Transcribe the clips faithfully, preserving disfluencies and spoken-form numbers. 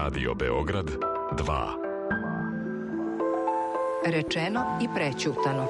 Radio Beograd dva. Rečeno i prećutano.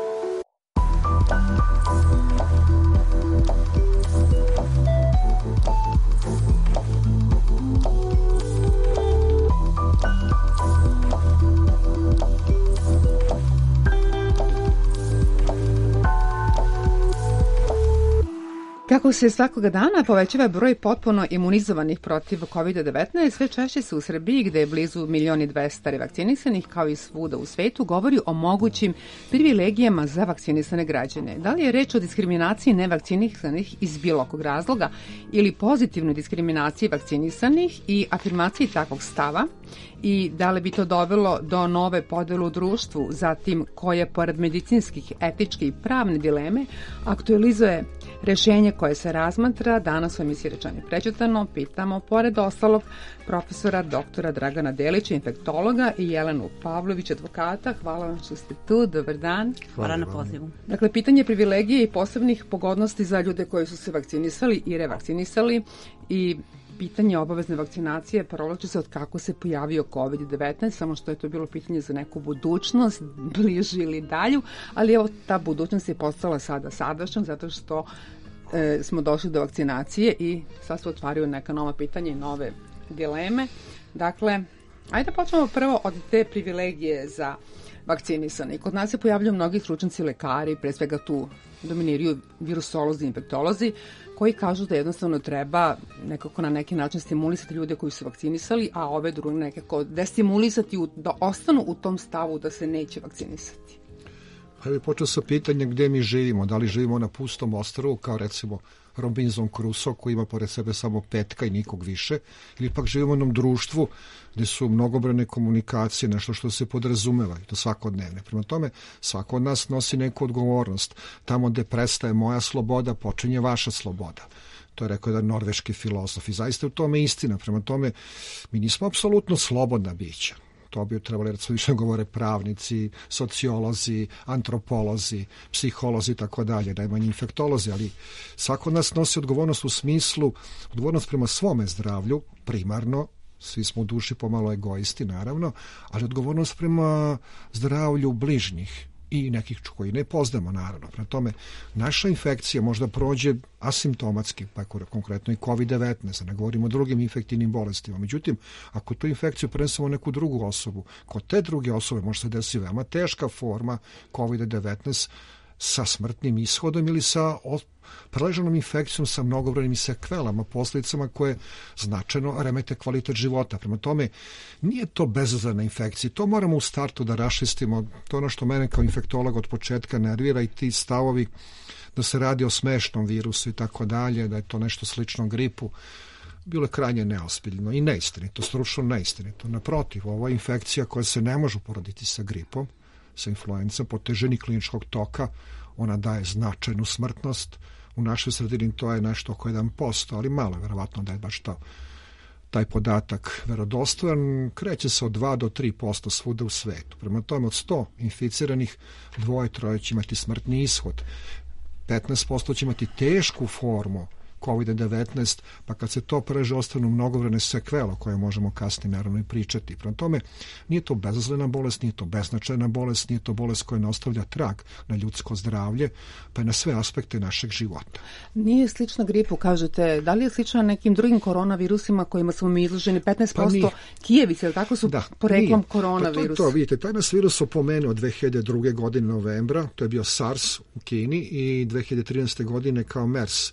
Kako se svakoga dana povećava broj potpuno imunizovanih protiv kovid devetnaest, sve češće se u Srbiji, gde je blizu milion i dvesta revakcinisanih, kao i svuda u svetu, govori o mogućim privilegijama za vakcinisane građane. Da li je reč o diskriminaciji nevakcinisanih iz bilo kog razloga ili pozitivnoj diskriminaciji vakcinisanih i afirmaciji takvog stava? I da li bi to dovelo do nove podele u društvu, zatim koje, pored medicinskih, etičke i pravne dileme, aktualizuje rešenje koje se razmatra? Danas u emisiji Rečeno i prećutano pitamo, pored ostalog, profesora doktora Dragana Delića, infektologa, i Jelenu Pavlović, advokata. Hvala vam što ste tu, dobar dan. Hvala na pozivu. Dakle, pitanje privilegije i posebnih pogodnosti za ljude koji su se vakcinisali i revakcinisali i pitanje obavezne vakcinacije provlači se od kako se pojavio kovid devetnaest, samo što je to bilo pitanje za neku budućnost, bližu ili dalju, ali evo, ta budućnost je postala sada sadašnjom, zato što e, smo došli do vakcinacije i sad se otvaraju neka nova pitanja i nove dileme. Dakle, ajde počnemo prvo od te privilegije za vakcinisane. Kod nas se pojavljaju mnogi stručnjaci lekari, pre svega tu dominiraju virusolozi i infektolozi, koji kažu da jednostavno treba nekako na neki način stimulisati ljude koji su vakcinisali, a ove druge nekako destimulisati da ostanu u tom stavu da se neće vakcinisati. Pa bih počeo sa pitanja gde mi živimo. Da li živimo na pustom ostrvu, kao recimo Robinson Crusoe, koji ima pored sebe samo petka i nikog više, ili pak živimo u jednom društvu gde su mnogobrojne komunikacije, nešto što se podrazumeva i to svakodnevne. Prema tome, svako od nas nosi neku odgovornost. Tamo gde prestaje moja sloboda, počinje vaša sloboda. To je rekao jedan norveški filozof i zaista u tome istina. Prema tome, mi nismo apsolutno slobodna bića. To bi trebali recimo više govore pravnici, sociolozi, antropolozi, psiholozi i tako dalje, najmanje infektolozi, ali svako od nas nosi odgovornost u smislu, odgovornost prema svome zdravlju, primarno, svi smo u duši pomalo egoisti, naravno, ali odgovornost prema zdravlju bližnjih i nekih koji ne poznamo, naravno. Prema tome, naša infekcija možda prođe asimptomatski, pa konkretno i kovid devetnaest, ne govorimo o drugim infektivnim bolestima. Međutim, ako tu infekciju prenesemo neku drugu osobu, kod te druge osobe može se desiti veoma teška forma kovid devetnaest sa smrtnim ishodom ili sa preleženom infekcijom sa mnogobrojnim sekvelama, posljedicama koje značajno remete kvalitet života. Prema tome, nije to bezazlena infekcija. To moramo u startu da raščistimo. To je ono što mene kao infektolog od početka nervira i ti stavovi da se radi o smešnom virusu i tako dalje, da je to nešto slično gripu. Bilo je krajnje neozbiljno i neistinito, stručno neistinito. Naprotiv, ovo je infekcija koja se ne može uporediti sa gripom, sa influencom, po težini kliničkog toka, ona daje značajnu smrtnost. U našoj sredini to je nešto oko jedan posto, ali malo je verovatno da je baš to, taj podatak verodostojan. Kreće se od dva do tri posto svuda u svetu. Prema tome, od sto inficiranih, dvoje, troje će imati smrtni ishod. petnaest posto će imati tešku formu kovid devetnaest, pa kad se to preže ostanu mnogobrojne sekvele koje možemo kasnije naravno i pričati. Prema tome, nije to bezazlena bolest, nije to beznačajna bolest, nije to bolest koja ne ostavlja trag na ljudsko zdravlje, pa i na sve aspekte našeg života. Nije slična gripu, kažete. Da li je slična nekim drugim koronavirusima kojima smo mi izloženi? petnaest posto pa Kijevice, tako su da, poreklom koronavirus. Pa to je to, vidite, taj nas virus opomenuo dve hiljade druge. godine novembra, to je bio SARS u Kini, i dve hiljade trinaeste. godine kao MERS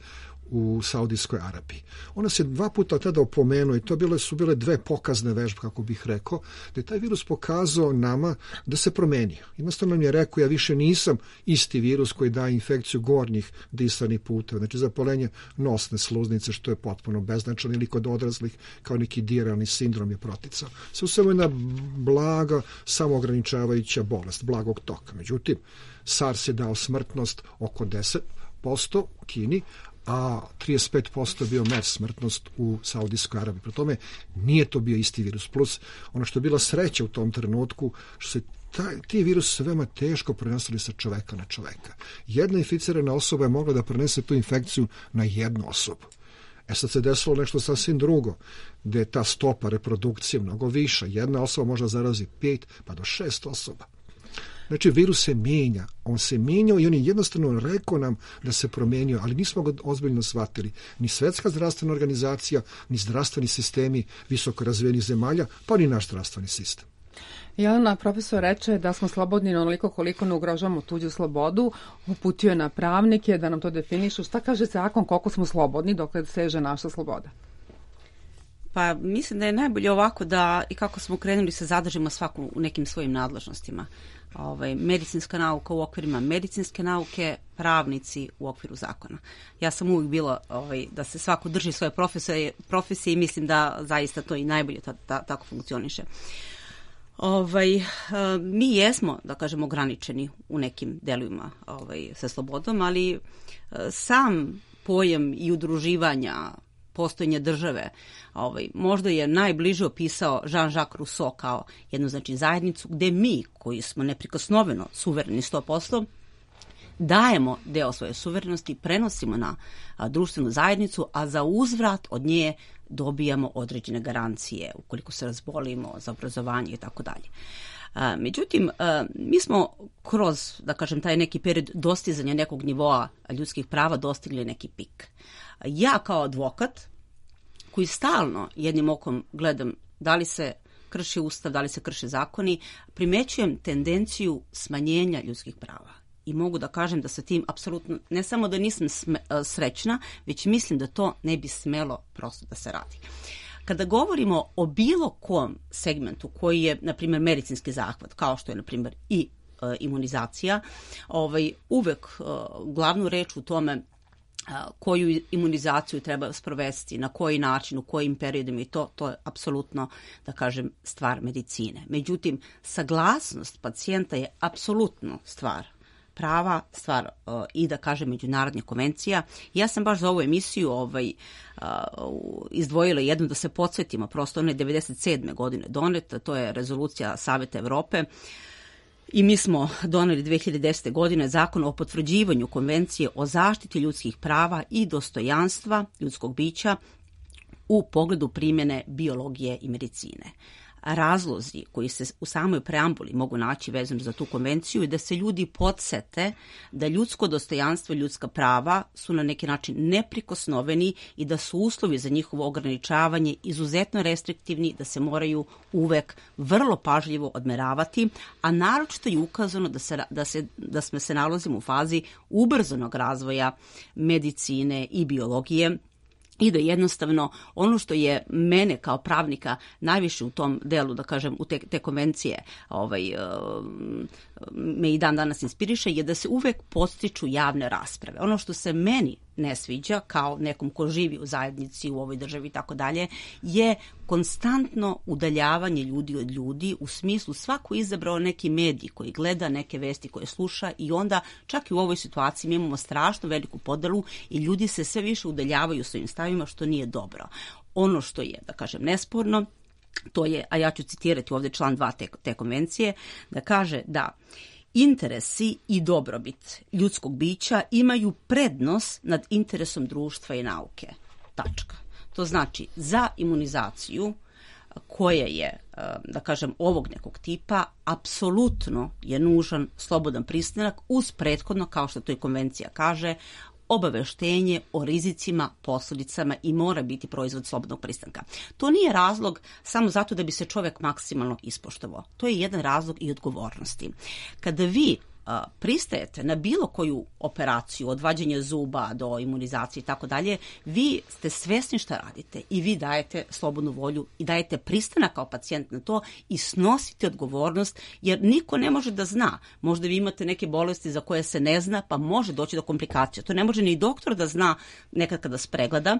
u Saudijskoj Arabiji. Ona se dva puta tada opomenuo i to bile, su bile dve pokazne vežbe, kako bih rekao, da je taj virus pokazao nama da se promenio. Jednostavno nam je rekao, ja više nisam isti virus koji daje infekciju gornjih disanih puteva, znači zapaljenje nosne sluznice, što je potpuno beznačajno, ili kod odraslih kao neki diralni sindrom je proticao. Sve u svemu jedna blaga, samoograničavajuća bolest, blagog toka. Međutim, SARS je dao smrtnost oko deset posto u Kini, a trideset pet posto je bio MERS smrtnost u Saudijskoj Arabiji. Pri tome nije to bio isti virus. Plus, ono što je bila sreća u tom trenutku, što se taj, ti virusi se veoma teško prenosili sa čoveka na čoveka. Jedna inficirana osoba je mogla da prenese tu infekciju na jednu osobu. E sad se desilo nešto sasvim drugo, gde je ta stopa reprodukcije mnogo viša. Jedna osoba može zarazi pet pa do šest osoba. Znači, virus se mijenja. On se mijenjao i on je jednostavno rekao nam da se promenio, ali nismo ga ozbiljno shvatili. Ni Svetska zdravstvena organizacija, ni zdravstveni sistemi visoko razvijenih zemalja, pa ni naš zdravstveni sistem. Jelena, profesor reče da smo slobodni onoliko koliko ne ugrožavamo tuđu slobodu, uputio je na pravnike da nam to definišu. Šta kaže zakon, koliko smo slobodni dokle seže naša sloboda? Pa mislim da je najbolje ovako da i kako smo krenuli se zadržimo svaku u nekim svojim nadležnostima. Ovaj, medicinska nauka u okvirima medicinske nauke, pravnici u okviru zakona. Ja sam uvijek bila ovaj, da se svako drži svoje profesije, profesije i mislim da zaista to i najbolje ta, ta, tako funkcioniše. Ovaj, mi jesmo, da kažemo, ograničeni u nekim delovima ovaj, sa slobodom, ali sam pojam i udruživanja, postojanja države, ovaj, možda je najbliže opisao Jean-Jacques Rousseau kao jednu, znači, zajednicu gde mi, koji smo neprikosnoveno suvereni sto posto, dajemo deo svoje suverenosti, prenosimo na a, društvenu zajednicu, a za uzvrat od nje dobijamo određene garancije ukoliko se razbolimo za obrazovanje i tako dalje. Međutim, a, mi smo kroz, da kažem, taj neki period dostizanja nekog nivoa ljudskih prava dostigli neki pik. Ja kao advokat, koji stalno jednim okom gledam da li se krši ustav, da li se krše zakoni, primećujem tendenciju smanjenja ljudskih prava. I mogu da kažem da sa tim apsolutno, ne samo da nisam sme, srećna, već mislim da to ne bi smelo prosto da se radi. Kada govorimo o bilo kom segmentu koji je, na primjer, medicinski zahvat, kao što je, na primjer, i e, imunizacija, ovaj, uvek e, glavnu reč u tome koju imunizaciju treba sprovesti, na koji način, u kojim periodima i to, to je apsolutno, da kažem, stvar medicine. Međutim, saglasnost pacijenta je apsolutno stvar prava, stvar uh, i, da kažem, međunarodnih konvencija. Ja sam baš za ovu emisiju ovaj, uh, izdvojila jednu da se podsjetimo, prosto ona je devedeset sedme godine doneta, to je rezolucija Saveta Evrope. I mi smo doneli dve hiljade desete. godine zakon o potvrđivanju konvencije o zaštiti ljudskih prava i dostojanstva ljudskog bića u pogledu primjene biologije i medicine. Razlozi koji se u samoj preambuli mogu naći vezano za tu konvenciju je da se ljudi podsete da ljudsko dostojanstvo i ljudska prava su na neki način neprikosnoveni i da su uslovi za njihovo ograničavanje izuzetno restriktivni, da se moraju uvek vrlo pažljivo odmeravati, a naročito je ukazano da, se, da, se, da smo se nalazimo u fazi ubrzanog razvoja medicine i biologije, i da jednostavno ono što je mene kao pravnika najviše u tom delu, da kažem, u te, te konvencije ovaj, me i dan danas inspiriše, je da se uvek podstiču javne rasprave. Ono što se meni ne sviđa, kao nekom ko živi u zajednici, u ovoj državi i tako dalje, je konstantno udaljavanje ljudi od ljudi, u smislu svako izabrao neki medij koji gleda, neke vesti koje sluša, i onda čak i u ovoj situaciji mi imamo strašno veliku podelu i ljudi se sve više udaljavaju svojim stavima, što nije dobro. Ono što je, da kažem, nesporno, to je, a ja ću citirati ovdje član dva te, te konvencije, da kaže da interesi i dobrobit ljudskog bića imaju prednost nad interesom društva i nauke. Tačka. To znači, za imunizaciju koja je, da kažem, ovog nekog tipa, apsolutno je nužan slobodan pristanak uz prethodno, kao što to i konvencija kaže, obaveštenje o rizicima, posljedicama i mora biti proizvod slobodnog pristanka. To nije razlog samo zato da bi se čovjek maksimalno ispoštovao. To je jedan razlog i odgovornosti. Kada vi a, pristajete na bilo koju operaciju, od vađenja zuba do imunizacije i tako dalje, vi ste svjesni šta radite i vi dajete slobodnu volju i dajete pristanak kao pacijent na to i snosite odgovornost, jer niko ne može da zna. Možda vi imate neke bolesti za koje se ne zna, pa može doći do komplikacija. To ne može ni doktor da zna nekad kada se pregleda,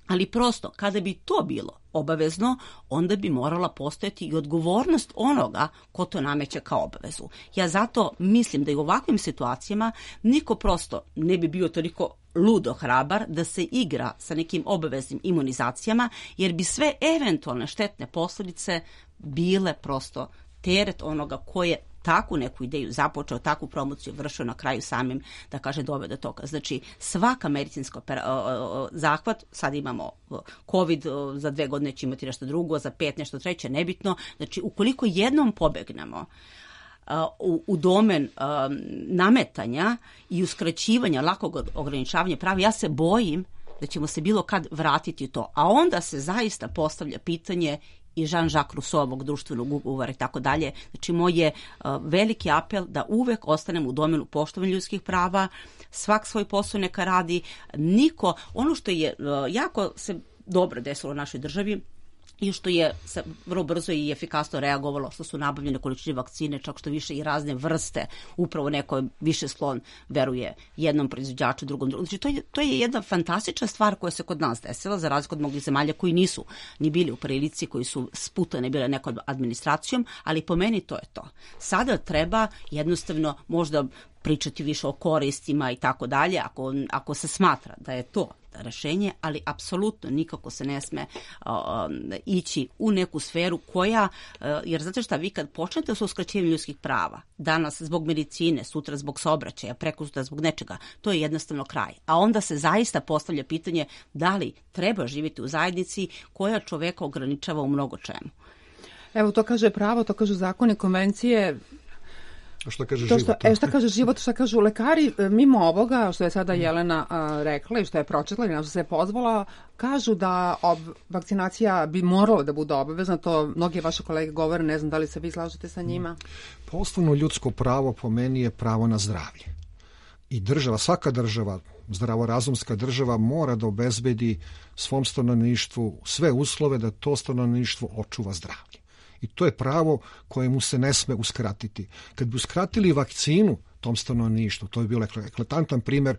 ali prosto, kada bi to bilo obavezno, onda bi morala postojati i odgovornost onoga ko to nameće kao obavezu. Ja zato mislim da i u ovakvim situacijama niko prosto ne bi bio toliko ludo hrabar da se igra sa nekim obaveznim imunizacijama, jer bi sve eventualne štetne posljedice bile prosto teret onoga ko je takvu neku ideju započeo, takvu promociju vršio, na kraju samim, da kaže, doveo do toga. Znači, svaka medicinska zahvat, sad imamo COVID, za dve godine će imati nešto drugo, za pet nešto treće, nebitno. Znači, ukoliko jednom pobegnemo u, u domen um, nametanja i uskraćivanja, lakog ograničavanja prava, ja se bojim da ćemo se bilo kad vratiti u to. A onda se zaista postavlja pitanje i Jean-Jacques Rousseauovog društvenog ugovora i tako dalje. Znači, moj je uh, veliki apel da uvek ostanemo u domenu poštovanja ljudskih prava, svak svoj posao neka radi, niko, ono što je uh, jako se dobro desilo u našoj državi, i što je se vrlo brzo i efikasno reagovalo, što su nabavljene količine vakcine, čak što više i razne vrste, upravo neko više sklon veruje jednom proizvođaču, drugom drugom. Znači, to je, to je jedna fantastična stvar koja se kod nas desila, za razliku od mnogih zemalja koji nisu ni bili u prilici, koji su sputane bile nekom administracijom, ali po meni to je to. Sada treba jednostavno možda pričati više o koristima i tako dalje, ako, ako se smatra da je to rešenje, ali apsolutno nikako se ne sme uh, ići u neku sferu koja, uh, jer znate šta, vi kad počnete sa uskraćivanjem ljudskih prava, danas zbog medicine, sutra zbog saobraćaja, prekosutra zbog nečega, to je jednostavno kraj. A onda se zaista postavlja pitanje da li treba živjeti u zajednici koja čoveka ograničava u mnogo čemu. Evo, to kaže pravo, to kažu zakoni, konvencije. A šta kaže to život? Što, e, šta kaže život, šta kažu lekari, mimo ovoga što je sada Jelena a, rekla i što je pročitala i na što se je pozvala, kažu da ob, vakcinacija bi morala da bude obavezna, to mnogi vaše kolege govore, ne znam da li se vi slažete sa njima. Pa osnovno ljudsko pravo po meni je pravo na zdravlje. I država, svaka država, zdravorazumska država mora da obezbedi svom stanovništvu sve uslove da to stanovništvo očuva zdravlje. I to je pravo koje mu se ne sme uskratiti. Kad bi uskratili vakcinu tom stanovništvu, to je bio eklatantan primjer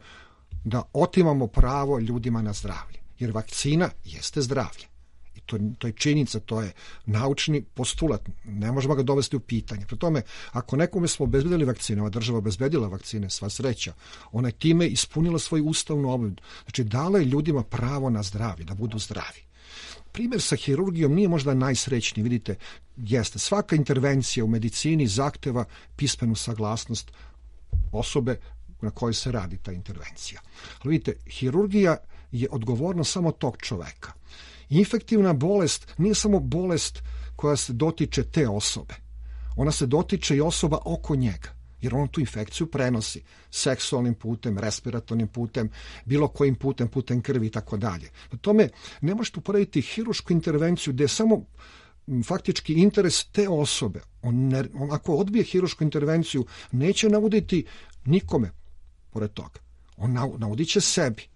da otimamo pravo ljudima na zdravlje. Jer vakcina jeste zdravlje. I to, to je činjenica, to je naučni postulat. Ne možemo ga dovesti u pitanje. Pri tome, ako nekome smo obezbedili vakcine, ova država obezbedila vakcine, sva sreća, ona je time ispunila svoju ustavnu obavezu. Znači, dala je ljudima pravo na zdravlje, da budu zdravi. Primjer sa hirurgijom nije možda najsrećniji, vidite, jeste, svaka intervencija u medicini zahteva pismenu saglasnost osobe na kojoj se radi ta intervencija. Ali vidite, hirurgija je odgovornost samo tog čoveka. Infektivna bolest nije samo bolest koja se dotiče te osobe, ona se dotiče i osoba oko njega. Jer on tu infekciju prenosi seksualnim putem, respiratornim putem, bilo kojim putem, putem krvi i tako dalje. Na tome ne možete uporediti hirušku intervenciju gdje je samo faktički interes te osobe. On, ne, on ako odbije hirušku intervenciju, neće navoditi nikome pored toga. On navodit će sebi.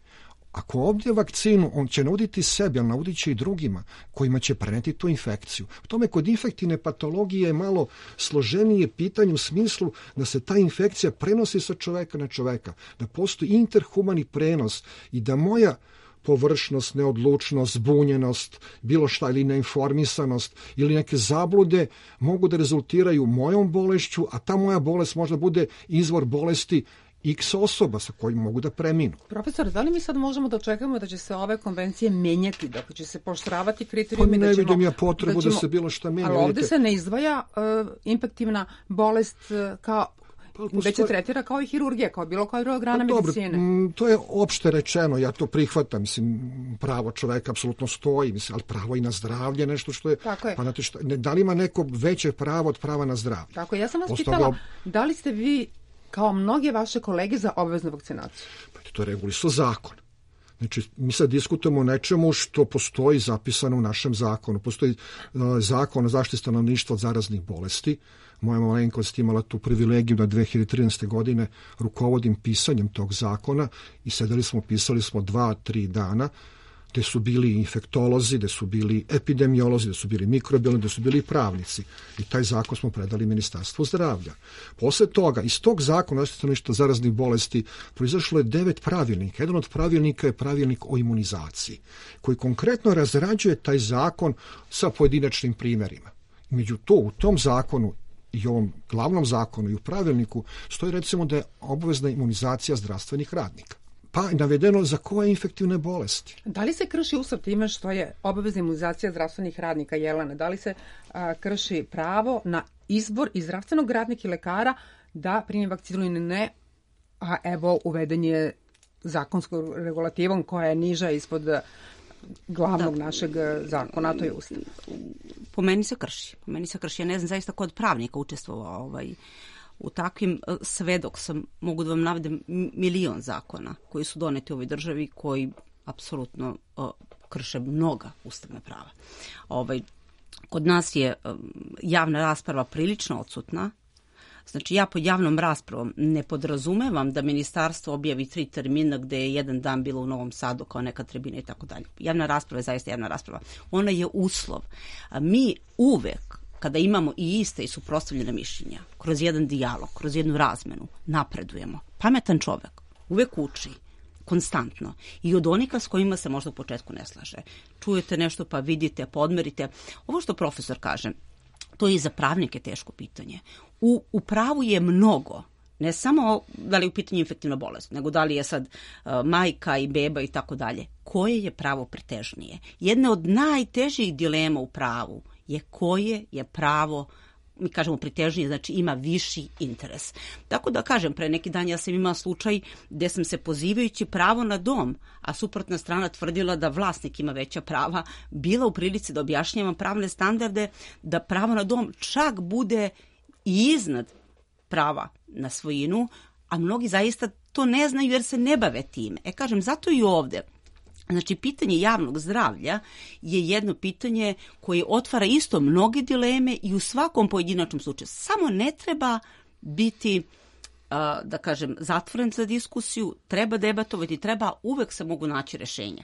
Ako odbije vakcinu, on će navoditi sebi, ali navodit će i drugima kojima će preneti tu infekciju. U tome kod infektivne patologije je malo složenije pitanje u smislu da se ta infekcija prenosi sa čoveka na čoveka, da postoji interhumani prenos i da moja površnost, neodlučnost, zbunjenost, bilo šta ili neinformisanost ili neke zablude mogu da rezultiraju mojom bolešću, a ta moja bolest možda bude izvor bolesti X osoba sa kojim mogu da preminu. Profesor, da li mi sad možemo da očekujemo da će se ove konvencije menjati, da će se poštravati kriterijumi? Pa ne da ćemo, vidim ja potrebu da, ćemo, da se bilo šta menja. Ali ovdje se ne izdvaja uh, infektivna bolest uh, kao već se tretira kao i hirurgija, kao bilo koja druga grana pa, medicine. Dobro, to je opšte rečeno, ja to prihvatam, mislim, pravo čoveka apsolutno stoji, mislim, ali pravo i na zdravlje, nešto što je... Tako je. Pa znate šta, ne, da li ima neko veće pravo od prava na zdravlje? Tako, ja sam vas Ostavlja... pitala, da li ste vi kao mnoge vaše kolege za obaveznu vakcinaciju? Pa to je regulisao zakon. Znači, mi sad diskutujemo o nečemu što postoji zapisano u našem zakonu. Postoji uh, zakon o zaštiti stanovništva od zaraznih bolesti. Moja malenkost imala tu privilegiju da dve hiljade trinaeste. godine rukovodim pisanjem tog zakona i sedeli smo, pisali smo dva, tri dana, gde su bili infektolozi, gde su bili epidemiolozi, gde su bili mikrobiolozi, gde su bili pravnici. I taj zakon smo predali Ministarstvu zdravlja. Posle toga, iz tog zakona o stanovništvu zaraznih bolesti proizašlo je devet pravilnika. Jedan od pravilnika je pravilnik o imunizaciji, koji konkretno razrađuje taj zakon sa pojedinačnim primjerima. Među to, u tom zakonu i ovom glavnom zakonu i u pravilniku stoji recimo da je obavezna imunizacija zdravstvenih radnika. Pa je navedeno za koje infektivne bolesti. Da li se krši Ustav time što je obavezna imunizacija zdravstvenih radnika, Jelena? Da li se a, krši pravo na izbor i zdravstvenog radnika i lekara da primi vakcinu ili ne, a evo uveden je zakonskom regulativom koja je niža ispod glavnog da. našeg zakona, to je Ustav. Po meni se krši. Po meni se krši. Ja ne znam zaista ko od pravnika učestvovao ovaj, u takvim, sve dok sam, mogu da vam navedem milion zakona koji su doneti u ovoj državi, koji apsolutno uh, krše mnoga ustavna prava. Ovaj, kod nas je um, javna rasprava prilično odsutna. Znači, ja pod javnom raspravom ne podrazumevam da ministarstvo objavi tri termina gde je jedan dan bilo u Novom Sadu kao neka tribina i tako dalje. Javna rasprava je zaista javna rasprava. Ona je uslov. A mi uvek, kada imamo i iste i suprotstavljene mišljenja, kroz jedan dijalog, kroz jednu razmenu, napredujemo. Pametan čovek uvek uči, konstantno. I od onika s kojima se možda u početku ne slaže. Čujete nešto pa vidite, podmerite. Ovo što profesor kaže, to je i za pravnike teško pitanje. U, u pravu je mnogo, ne samo da li je u pitanju infektivna bolest, nego da li je sad uh, majka i beba i tako dalje. Koje je pravo pretežnije? Jedna od najtežih dilema u pravu je koje je pravo, mi kažemo pritežnije, znači ima viši interes. Tako da kažem, pre neki dan ja sam imala slučaj gde sam se pozivajući pravo na dom, a suprotna strana tvrdila da vlasnik ima veća prava, bila u prilici da objašnjavam pravne standarde, da pravo na dom čak bude i iznad prava na svojinu, a mnogi zaista to ne znaju jer se ne bave time. E kažem, zato i ovde. Znači, pitanje javnog zdravlja je jedno pitanje koje otvara isto mnoge dileme i u svakom pojedinačnom slučaju. Samo ne treba biti, da kažem, zatvoren za diskusiju, treba debatovati, treba, uvek se mogu naći rešenja.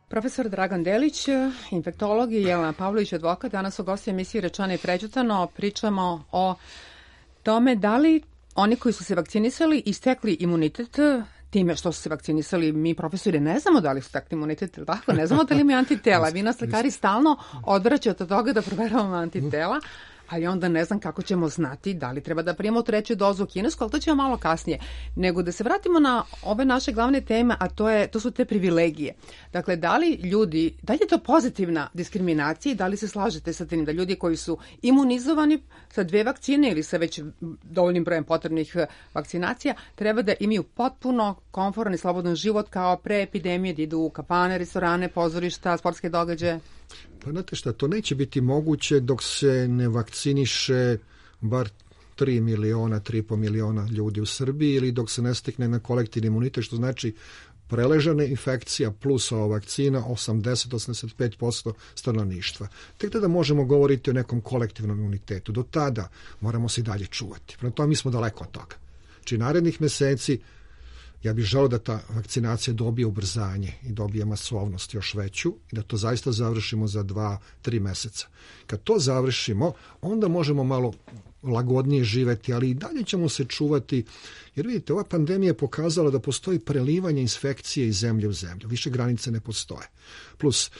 Profesor Dragan Delić, infektolog i Jelena Pavlović, advokat. Danas u gosti emisiji Rečeno i prećutano pričamo o tome da li oni koji su se vakcinisali i stekli imunitet time što su se vakcinisali. Mi profesori ne znamo da li su takvi imunitet, tako, ne znamo da li imaju antitela. Vi nas lekari stalno odvraćate od toga da proveravamo antitela, ali onda ne znam kako ćemo znati da li treba da primamo treću dozu kinesku, ali to ćemo malo kasnije. Nego da se vratimo na ove naše glavne teme, a to, je, to su te privilegije. Dakle, da li ljudi, da li je to pozitivna diskriminacija i da li se slažete sa tim da ljudi koji su imunizovani sa dve vakcine ili sa već dovoljnim brojem potrebnih vakcinacija, treba da imaju potpuno komforan i slobodan život kao pre epidemije, da idu u kafane, restorane, pozorišta, sportske događaje? Pa znate šta, to neće biti moguće dok se ne vakciniše bar tri miliona, tri i po miliona ljudi u Srbiji ili dok se ne stekne na kolektivni imunitet, što znači preležana infekcija plus ova vakcina osamdeset do osamdeset pet posto stanovništva. Tek tada možemo govoriti o nekom kolektivnom imunitetu. Do tada moramo se i dalje čuvati. Prema tome mi smo daleko od toga. Či narednih meseci ja bih želeo da ta vakcinacija dobije ubrzanje i dobije masovnost još veću i da to zaista završimo za dva, tri meseca. Kad to završimo, onda možemo malo lagodnije živeti, ali i dalje ćemo se čuvati, jer vidite, ova pandemija je pokazala da postoji prelivanje infekcije iz zemlje u zemlju. Više granice ne postoje. Plus,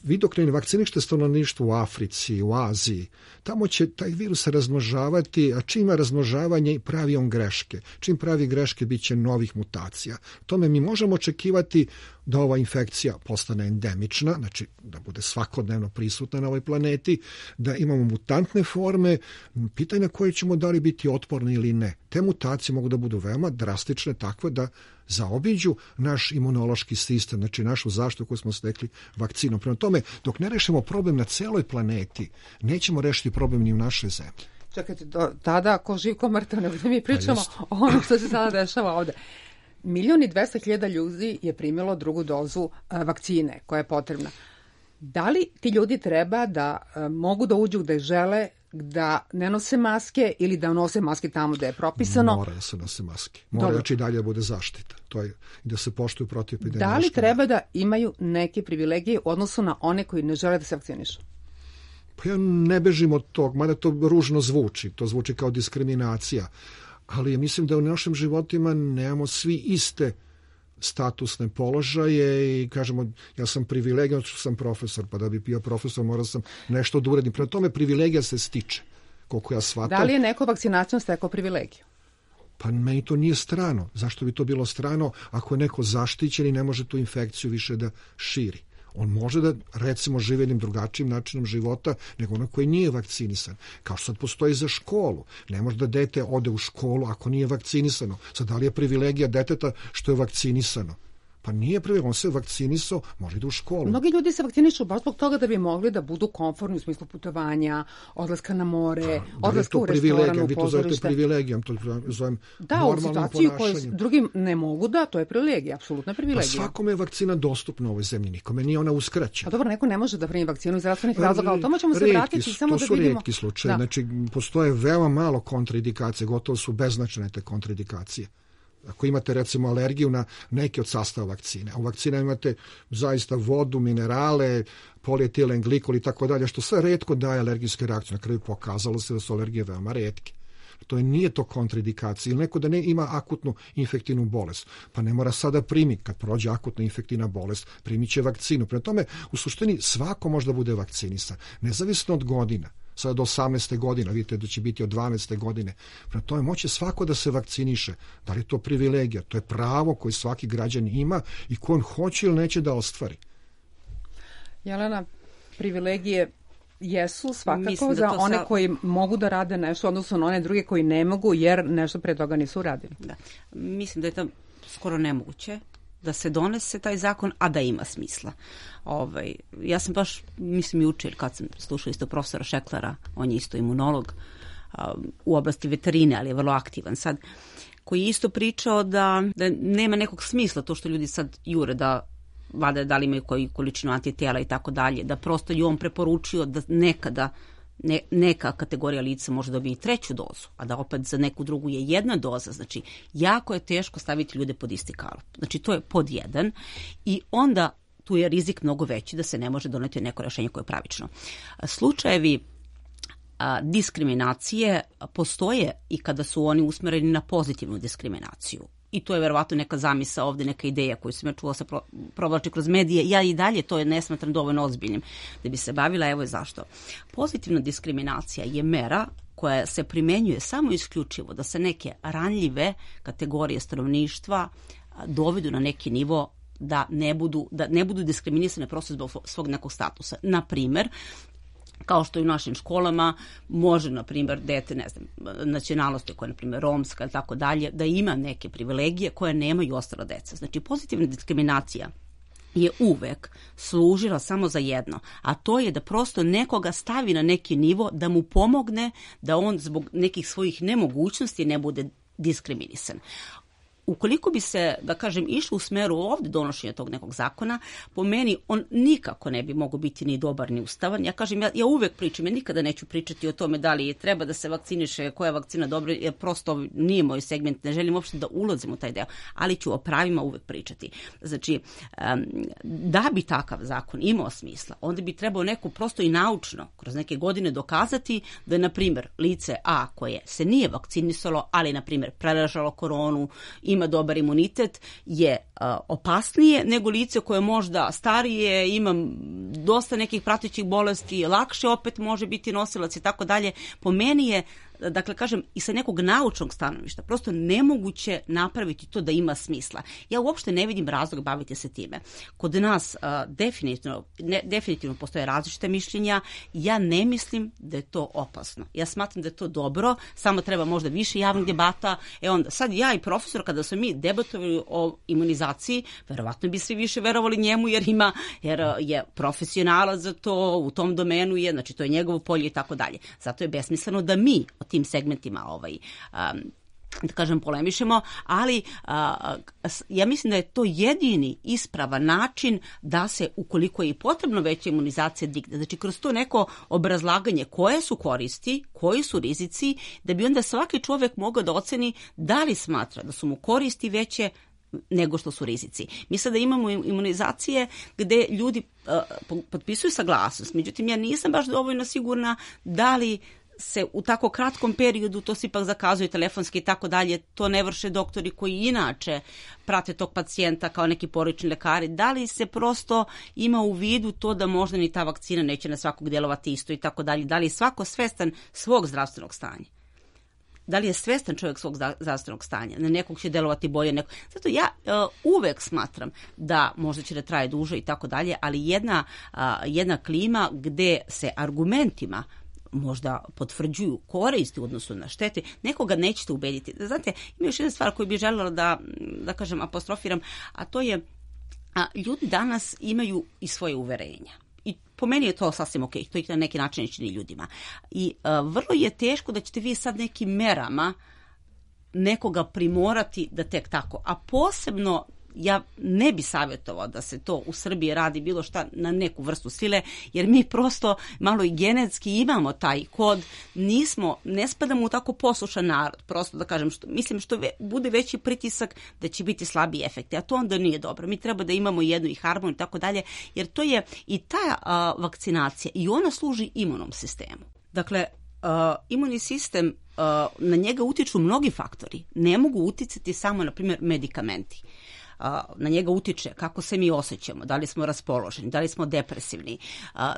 vi dok ne vakcinište stanovništvo u Africi, u Aziji, tamo će taj virus razmnožavati, a čim ima razmnožavanje pravi on greške. Čim pravi greške bit će novih mutacija. Tome mi možemo očekivati da ova infekcija postane endemična, znači da bude svakodnevno prisutna na ovoj planeti, da imamo mutantne forme, pitanje koje ćemo da li biti otporni ili ne. Te mutacije mogu da budu veoma drastične, takve da zaobiđu naš imunološki sistem, znači našu zaštitu koju smo stekli vakcinom. Prema tome, dok ne rešimo problem na celoj planeti, nećemo rešiti problem ni u našoj zemlji. Čekajte, do, tada ko živ, ko mrtav, nego da mi pričamo o onom što se sada dešava ovde. Milion i dvesta hiljada ljudi je primilo drugu dozu a, vakcine koja je potrebna. Da li ti ljudi treba da a, mogu da uđu gde žele, da ne nose maske ili da nose maske tamo gde je propisano? Mora da se nose maske. Mora znači i dalje da bude zaštita. To je da se poštuju protiv epidemije. Da li treba da imaju neke privilegije u odnosu na one koji ne žele da se vakcinišu? Pa ja ne bežim od tog, mada to ružno zvuči. To zvuči kao diskriminacija. Ali mislim da u našim životima nemamo svi iste statusne položaje i kažemo, ja sam privilegijan što sam profesor, pa da bi bio profesor morao sam nešto da uradim. Prema tome privilegija se stiče, koliko ja shvatam. Da li je neko vakcinacijom stekao privilegiju? Pa meni to nije strano. Zašto bi to bilo strano ako je neko zaštićen i ne može tu infekciju više da širi? On može da, recimo, živi jednim drugačijim načinom života nego ono koji nije vakcinisan. Kao što sad postoji za školu. Ne može da dete ode u školu ako nije vakcinisano. Sad, da li je privilegija deteta što je vakcinisano? Pa nije privilegija, on se vakcinisao, može da u školu. Mnogi ljudi se vakcinišu baš zbog toga da bi mogli da budu komfortni u smislu putovanja, odlaska na more, pa, odlaska u restoran, u pozorište. Vi to zovete privilegijom, to zovem da, normalnim ponašanjem. Da, u situaciju koju drugim ne mogu da, to je privilegija, apsolutna privilegija. Pa svakome je vakcina dostupna u ovoj zemlji, nikome nije ona uskraćena. Pa dobro, neko ne može da primi vakcinu iz zdravstvenih razloga, ali tamo ćemo se vratiti samo da vidimo. To su retki slučaje, da. Znači postoje veoma malo kontraindikacije, gotovo su beznačajne te kontraindikacije. Ako imate recimo alergiju na neke od sastava vakcine, a u vakcina imate zaista vodu, minerale, polietilen glikol i tako dalje, što sve retko daje alergijske reakcije. Na kraju pokazalo se da su alergije veoma retke. To je, nije to kontraindikacija. Ili neko da ne ima akutnu infektivnu bolest, pa ne mora sada primi. Kad prođe akutna infektivna bolest, primit će vakcinu. Prema tome, u suštini svako može da bude vakcinisan, nezavisno od godina. Sada do osamnaeste godine, vidite da će biti od dvanaeste godine. Prema tome, moće svako da se vakciniše. Da li je to privilegija? To je pravo koje svaki građan ima i ko on hoće ili neće da ostvari. Jelena, privilegije jesu svakako da za one sa... koji mogu da rade nešto, odnosno na one druge koji ne mogu jer nešto pre toga nisu uradili. Da. Mislim da je to skoro nemoguće da se donese taj zakon, a da ima smisla. Ovaj, ja sam baš, mislim, juče, kad sam slušao isto profesora Šeklera, on je isto imunolog um, u oblasti veterine, ali je vrlo aktivan sad, koji je isto pričao da, da nema nekog smisla to što ljudi sad jure da vada da li imaju koju količinu antitela i tako dalje, da prosto je on preporučio da nekada ne, neka kategorija lica može dobiti treću dozu, a da opet za neku drugu je jedna doza. Znači, jako je teško staviti ljude pod isti kalup. Znači, to je pod jedan i onda tu je rizik mnogo veći da se ne može doneti neko rešenje koje je pravično. Slučajevi a, diskriminacije postoje i kada su oni usmereni na pozitivnu diskriminaciju. i to je verovatno neka zamisa ovde, neka ideja koju sam ja čula se pro, provlači kroz medije, ja i dalje to je ne smatram dovoljno ozbiljnim da bi se bavila, evo je zašto. Pozitivna diskriminacija je mera koja se primenjuje samo isključivo da se neke ranljive kategorije stanovništva dovedu na neki nivo da ne budu, da ne budu diskriminisane prosto zbog svog nekog statusa. Na primer, kao što i u našim školama može, na primjer, dete, ne znam, nacionalnosti koja je, na primjer, romska ili tako dalje, da ima neke privilegije koje nemaju ostala deca. Znači, pozitivna diskriminacija je uvek služila samo za jedno, a to je da prosto nekoga stavi na neki nivo, da mu pomogne da on zbog nekih svojih nemogućnosti ne bude diskriminisan. Ukoliko bi se, da kažem, išlo u smeru ovde donošenja tog nekog zakona, po meni on nikako ne bi mogao biti ni dobar ni ustavan. Ja kažem, ja, ja uvek pričam, ja nikada neću pričati o tome da li treba da se vakciniše, koja je vakcina dobra, jer prosto nije moj segment, ne želim uopšte da ulazim u taj deo, ali ću o pravima uvek pričati. Znači, um, da bi takav zakon imao smisla, onda bi trebao neko prosto i naučno, kroz neke godine dokazati da je, na primjer, lice A koje se nije vakcinisalo, ali, na primjer, preležalo koronu, ima dobar imunitet, je uh, opasnije nego lice koje možda starije, ima dosta nekih pratećih bolesti, lakše opet može biti nosilac i tako dalje. Po meni je, dakle, kažem, i sa nekog naučnog stanovišta prosto nemoguće napraviti to da ima smisla. Ja uopšte ne vidim razlog baviti se time. Kod nas uh, definitivno, ne, definitivno postoje različite mišljenja. Ja ne mislim da je to opasno. Ja smatram da je to dobro, samo treba možda više javnih debata. E onda, sad ja i profesor, kada smo mi debatovali o imunizaciji, verovatno bi svi više verovali njemu, jer ima, jer je profesionalac za to, u tom domenu je, znači to je njegovo polje i tako dalje. Zato je besmisleno da mi tim segmentima ovaj, um, da kažem polemišemo, ali uh, ja mislim da je to jedini ispravan način da se, ukoliko je i potrebno veća imunizacija digne, znači kroz to neko obrazlaganje koje su koristi, koji su rizici, da bi onda svaki čovek mogao da oceni da li smatra da su mu koristi veće nego što su rizici. Mi sada imamo imunizacije gde ljudi uh, potpisuju saglasnost, međutim ja nisam baš dovoljno sigurna da li se u tako kratkom periodu, to se ipak zakazuje telefonski i tako dalje, to ne vrše doktori koji inače prate tog pacijenta kao neki porodični lekari, da li se prosto ima u vidu to da možda ni ta vakcina neće na svakog djelovati isto i tako dalje, da li je svako svestan svog zdravstvenog stanja. Da li je svestan čovjek svog zdravstvenog stanja, na nekog će delovati bolje. Neko... Zato ja uh, uvek smatram da možda će da traje duže i tako dalje, ali jedna, uh, jedna klima gde se argumentima možda potvrđuju koristi u odnosu na štete, nekoga nećete ubediti. Znate, ima još jedna stvar koju bih željela da, da kažem, apostrofiram, a to je, a, ljudi danas imaju i svoje uverenja. I po meni je to sasvim ok, to ih na neki način ne čini ljudima. I a, vrlo je teško da ćete vi sad nekim merama nekoga primorati da tek tako, a posebno ja ne bi savjetovao da se to u Srbiji radi bilo šta na neku vrstu sile, jer mi prosto malo i genetski imamo taj kod, nismo, ne spadamo u tako poslušan narod, prosto da kažem, što, mislim što ve, bude veći pritisak da će biti slabiji efekti, a to onda nije dobro. Mi treba da imamo jednu i harmoniju i tako dalje, jer to je i ta a, vakcinacija i ona služi imunom sistemu. Dakle, a, imunni sistem, a, na njega utiču mnogi faktori, ne mogu uticati samo, na primjer, medikamenti. Na njega utiče kako se mi osjećamo, da li smo raspoloženi, da li smo depresivni,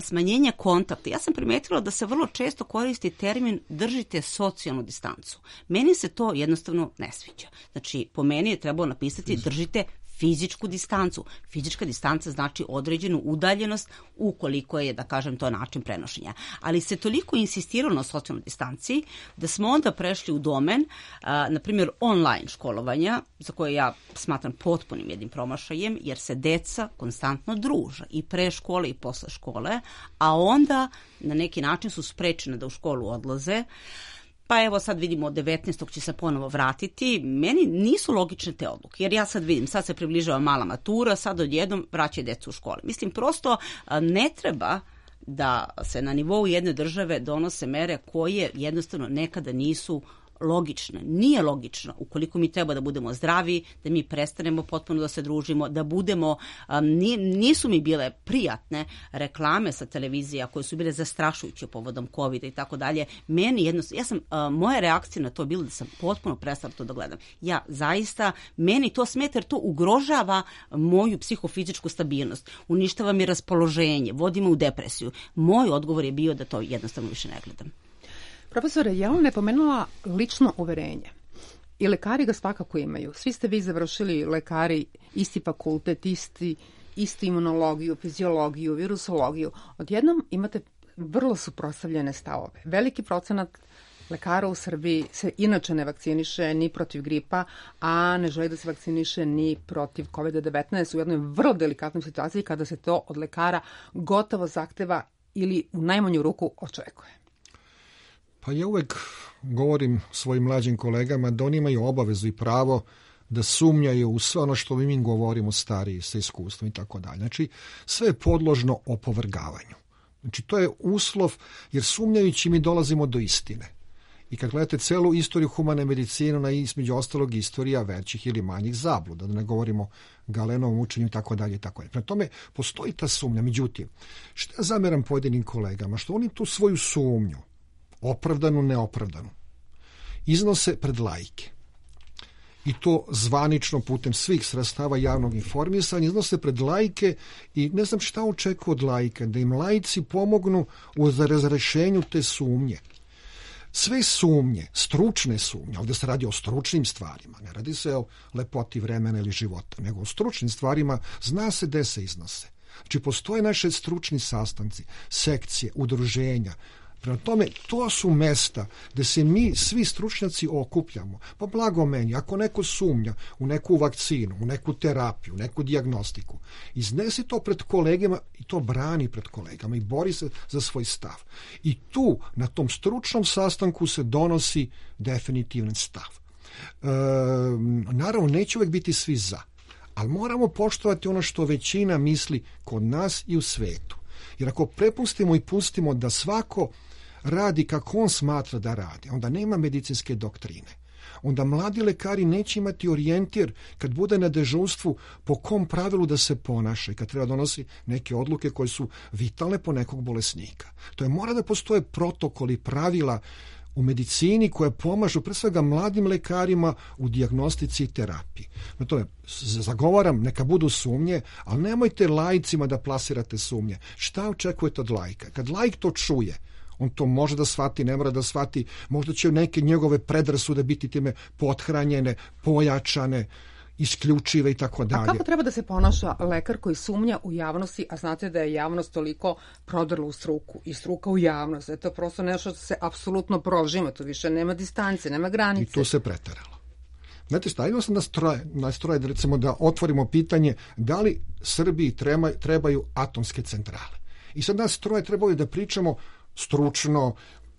smanjenje kontakta. Ja sam primetila da se vrlo često koristi termin držite socijalnu distancu. Meni se to jednostavno ne sviđa. Znači, po meni je trebalo napisati držite fizičku distancu. Fizička distanca znači određenu udaljenost ukoliko je, da kažem, to način prenošenja. Ali se toliko insistiralo na socijalnoj distanci da smo onda prešli u domen, a, na primjer, online školovanja, za koje ja smatram potpunim jednim promašajem, jer se deca konstantno druže i pre škole i posle škole, a onda na neki način su sprečene da u školu odlaze. Pa evo sad vidimo od devetnaestog će se ponovo vratiti. Meni nisu logične te odluke, jer ja sad vidim, sad se približava mala matura, sad odjednom vraćaju decu u škole. Mislim, prosto ne treba da se na nivou jedne države donose mere koje jednostavno nekada nisu logične. Nije logično, ukoliko mi treba da budemo zdravi, da mi prestanemo potpuno da se družimo, da budemo, um, nisu mi bile prijatne reklame sa televizija koje su bile zastrašujuće povodom covida i tako dalje. Meni jednostavno, ja sam, uh, moja reakcija na to bila da sam potpuno prestala to da gledam. Ja zaista, meni to smeta jer to ugrožava moju psihofizičku stabilnost, uništava mi raspoloženje, vodi me u depresiju. Moj odgovor je bio da to jednostavno više ne gledam. Profesore, Jelena je pomenula lično uverenje. I lekari ga svakako imaju. Svi ste vi završili lekari, isti fakultet, isti, istu imunologiju, fiziologiju, virusologiju. Odjednom imate vrlo suprotstavljene stavove. Veliki procenat lekara u Srbiji se inače ne vakciniše ni protiv gripa, a ne želi da se vakciniše ni protiv kovida devetnaest u jednoj vrlo delikatnoj situaciji kada se to od lekara gotovo zahteva ili u najmanju ruku očekuje. Pa ja uvek govorim svojim mlađim kolegama da oni imaju obavezu i pravo da sumnjaju u sve ono što mi govorimo stariji sa iskustvom i tako dalje. Znači, sve je podložno opovrgavanju. Znači, to je uslov, jer sumnjajući mi dolazimo do istine. I kad gledate celu istoriju humane medicine, na između ostalog istorija većih ili manjih zabluda, da ne govorimo Galenovom učenju i tako dalje i tako dalje. Prema tome, postoji ta sumnja. Međutim, što ja zameram pojedinim kolegama? Što oni tu svoju sumnju, opravdanu, neopravdanu, iznose pred laike. I to zvanično putem svih sredstava javnog informisanja, iznose pred laike i ne znam šta očekuju od laika, da im laici pomognu u razrešenju te sumnje. Sve sumnje, stručne sumnje, ovdje se radi o stručnim stvarima, ne radi se o lepoti vremena ili života, nego o stručnim stvarima, zna se gde se iznose. Znači, postoje naše stručni sastanci, sekcije, udruženja. Prema tome, to su mesta gde se mi, svi stručnjaci, okupljamo. Pa blago meni, ako neko sumnja u neku vakcinu, u neku terapiju, u neku dijagnostiku, iznesi to pred kolegama i to brani pred kolegama i bori se za svoj stav. I tu, na tom stručnom sastanku, se donosi definitivan stav. E, naravno, neće uvek biti svi za, ali moramo poštovati ono što većina misli kod nas i u svetu. Jer ako prepustimo i pustimo da svako radi kako on smatra da radi, onda nema medicinske doktrine. Onda mladi lekari neće imati orijentir kad bude na dežurstvu po kom pravilu da se ponaša i kad treba donosi neke odluke koje su vitalne po nekog bolesnika. To je mora da postoje protokoli, pravila u medicini koje pomažu pre svega mladim lekarima u dijagnostici i terapiji. Na to je, zagovaram, neka budu sumnje, ali nemojte laicima da plasirate sumnje. Šta očekujete od laika? Kad laik to čuje, on to može da shvati, ne mora da shvati, možda će neke njegove predrasude biti time pothranjene, pojačane, isključive i tako dalje. A kako treba da se ponaša lekar koji sumnja u javnosti, a znate da je javnost toliko prodrla u struku i struka u javnost, da je to prosto nešto što se apsolutno prožima, tu više nema distance, nema granice. I tu se preteralo. Znate šta, imao sam nastroje, nastroje da, recimo, da otvorimo pitanje da li Srbiji treba, trebaju atomske centrale. I sad nas troje trebaju da pričamo stručno,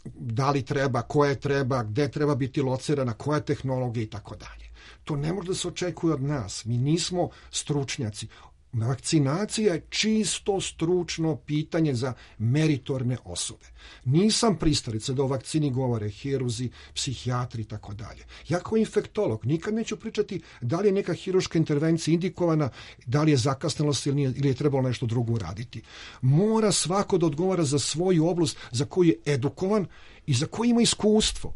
da li treba, koje treba, gde treba biti locirana, koja tehnologija i tako dalje. To ne može da se očekuje od nas. Mi nismo stručnjaci. Vakcinacija je čisto stručno pitanje za meritorne osobe. Nisam pristalica da o vakcini govore hirurzi, psihijatri i tako dalje. Ja kao infektolog nikad neću pričati da li je neka hiruška intervencija indikovana, da li je zakasnelost ili, nije, ili je trebalo nešto drugo uraditi. Mora svako da odgovara za svoju oblast za koju je edukovan i za koju ima iskustvo.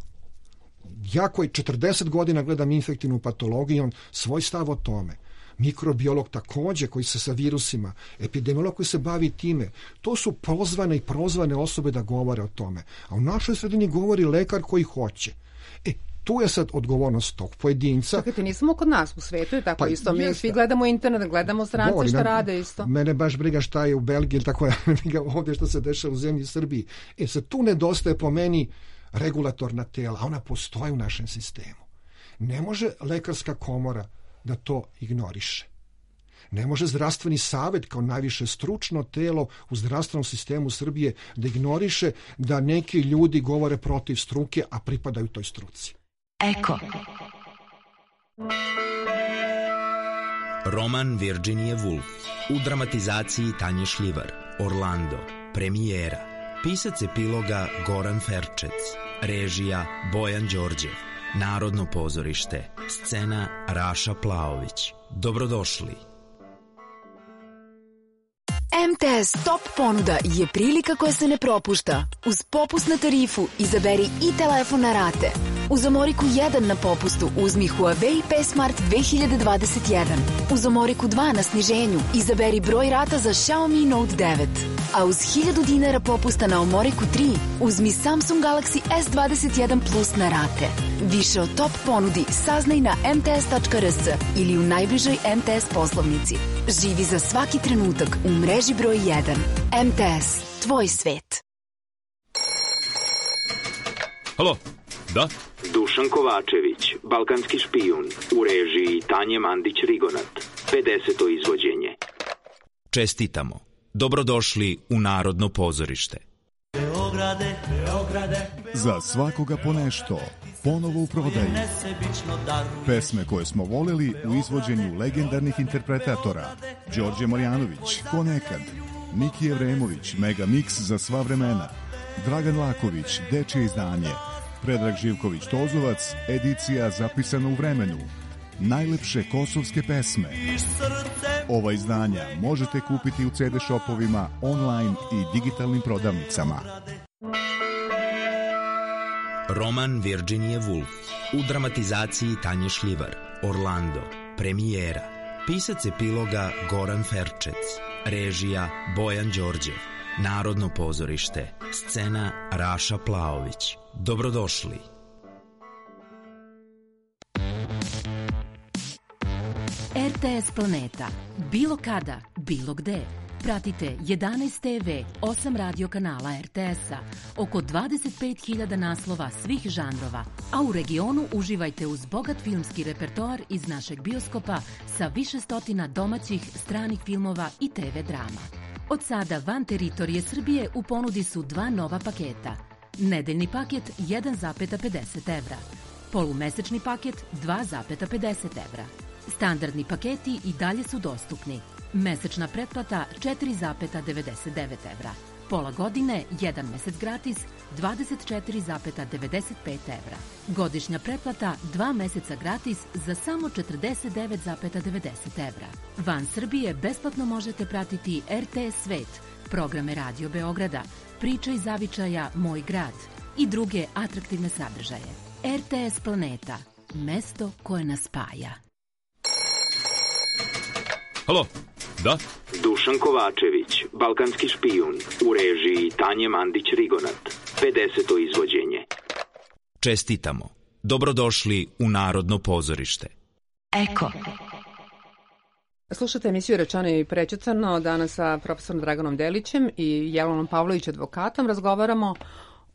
Ja koji četrdeset godina gledam infektivnu patologiju, imam svoj stav o tome. Mikrobiolog takođe koji se sa virusima, epidemiolog koji se bavi time. To su pozvane i prozvane osobe da govore o tome. A u našoj sredini govori lekar koji hoće. E, tu je sad odgovornost tog pojedinca. Čekajte, nismo kod nas u svetu, je tako pa, isto. Mi svi gledamo internet, gledamo strance Boli, šta rade isto. Mene baš briga šta je u Belgiji, tako je ovdje što se dešava u zemlji Srbiji. E, sad tu nedostaje po meni regulatorna tela, a ona postoji u našem sistemu. Ne može lekarska komora da to ignoriše. Ne može zdravstveni savjet kao najviše stručno telo u zdravstvenom sistemu Srbije da ignoriše da neki ljudi govore protiv struke, a pripadaju toj struci. Eko. Roman Virginia Woolf u dramatizaciji Tanje Šljivar. Orlando. Premijera. Pisac epiloga Goran Ferčec. Režija Bojan Đorđev. Narodno pozorište, scena Raša Plaović. Dobrodošli. M T S Top ponuda je prilika koja se ne propušta. Uz popust na tarifu izaberi i telefon na rate. Uz Omoriku jedan na popustu uzmi Huawei P Smart dve hiljade dvadeset jedan. Uz Omoriku dva na sniženju izaberi broj rata za Xiaomi Note devet. A uz hiljadu dinara popusta na Omoriku tri uzmi Samsung Galaxy S dvadeset jedan Plus na rate. Više o top ponudi saznaj na m t s tačka r s ili u najbližoj M T S poslovnici. Živi za svaki trenutak u mreži broj jedan. M T S, tvoj svet. Halo, da? Dušan Kovačević, balkanski špijun, u režiji Tanje Mandić-Rigonat, pedeseto izvođenje. Čestitamo. Dobrodošli u Narodno pozorište. Beograde, Beograde, za svakoga po nešto, ponovo u prodaji. Pesme koje smo voleli u izvođenju legendarnih interpretatora. Đorđe Marjanović, Ko nekad. Miki Evremović, Mega Mix za sva vremena. Dragan Laković, Dečije izdanje. Predrag Živković Tozovac, edicija zapisana u vremenu. Najlepše kosovske pesme. Ova izdanja možete kupiti u ce de shopovima, online i digitalnim prodavnicama. Roman Virginia Woolf u dramatizaciji Tanje Šljivar. Orlando. Premijera. Pisac epiloga Goran Ferčec. Režija Bojan Đorđev. Narodno pozorište. Scena Raša Plaović. Dobrodošli. R T S Planeta. Bilo kada, bilo gde. Pratite jedanaest te ve, osam radio kanala R T S-a, oko dvadeset pet hiljada naslova svih žanrova, a u regionu uživajte uz bogat filmski repertoar iz našeg bioskopa sa više stotina domaćih, stranih filmova i te ve drama. Od sada van teritorije Srbije u ponudi su dva nova paketa. Nedeljni paket jedan zarez pedeset evra. Polumesečni paket dva zarez pedeset evra. Standardni paketi i dalje su dostupni. Mesečna pretplata četiri zarez devedeset devet evra. Pola godine, jedan mesec gratis, dvadeset četiri zarez devedeset pet evra. Godišnja pretplata, dva meseca gratis za samo četrdeset devet zarez devedeset evra. Van Srbije besplatno možete pratiti R T S Svet, programe Radio Beograda, Priče iz zavičaja Moj grad i druge atraktivne sadržaje. R T S Planeta, mesto koje nas spaja. Halo, da? Dušan Kovačević, balkanski špijun, u režiji Tanje Mandić-Rigonat, pedeseto izvođenje. Čestitamo. Dobrodošli u Narodno pozorište. Eko. Slušate emisiju Rečano i prećutano. Danas sa profesorom Draganom Delićem i Jelenom Pavlović advokatom razgovaramo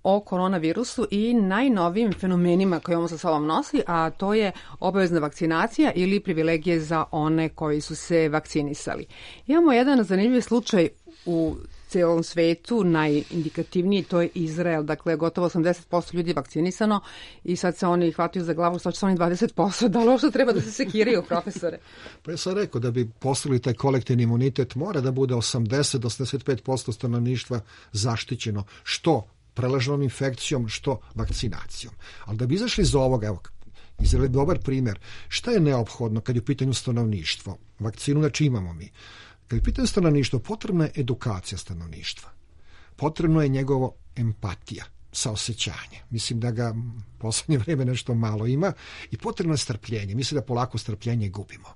o koronavirusu i najnovijim fenomenima koje on sa sobom nosi, a to je obavezna vakcinacija ili privilegije za one koji su se vakcinisali. Imamo jedan zanimljiv slučaj u celom svetu, najindikativniji, to je Izrael. Dakle, gotovo osamdeset posto ljudi je vakcinisano i sad se oni hvataju za glavu, što će se oni dvadeset posto. Da li ovo što treba da se sekiraju, profesore? Pa ja sam rekao da bi postigli taj kolektivni imunitet mora da bude osamdeset do osamdeset pet posto stanovništva zaštićeno, što prelaženom infekcijom, što vakcinacijom. Ali da bi izašli iz ovoga, evo, Izrael je dobar primjer, šta je neophodno kad je u pitanju stanovništvo? Vakcinu znači imamo mi. Kad je u pitanju stanovništvo, potrebna je edukacija stanovništva. Potrebno je njegovo empatija, saosećanje. Mislim da ga u poslednje vreme nešto malo ima i potrebno je strpljenje. Mislim da polako strpljenje gubimo.